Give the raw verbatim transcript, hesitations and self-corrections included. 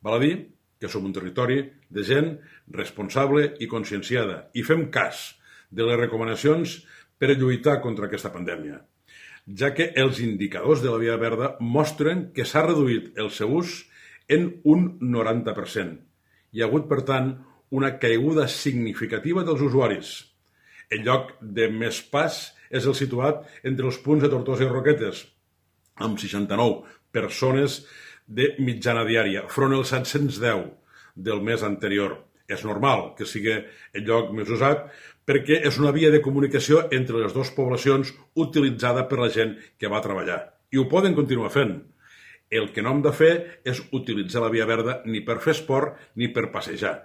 Val a dir que som un territori de gent responsable i conscienciada i fem cas de les recomanacions per lluitar contra aquesta pandèmia, ja que els indicadors de la via verda mostren que s'ha reduït el seu ús en un noranta per cent. Hi ha hagut, per tant, una caiguda significativa dels usuaris. El lloc de més pas és el situat entre els punts de Tortosa i Roquetes, amb seixanta-nou persones de mitjana diària, front als set-cents deu del mes anterior. És normal que sigui el lloc més usat perquè és una via de comunicació entre les dues poblacions utilitzada per la gent que va treballar. I ho poden continuar fent. El que no hem de fer és utilitzar la via verda ni per fer esport ni per passejar.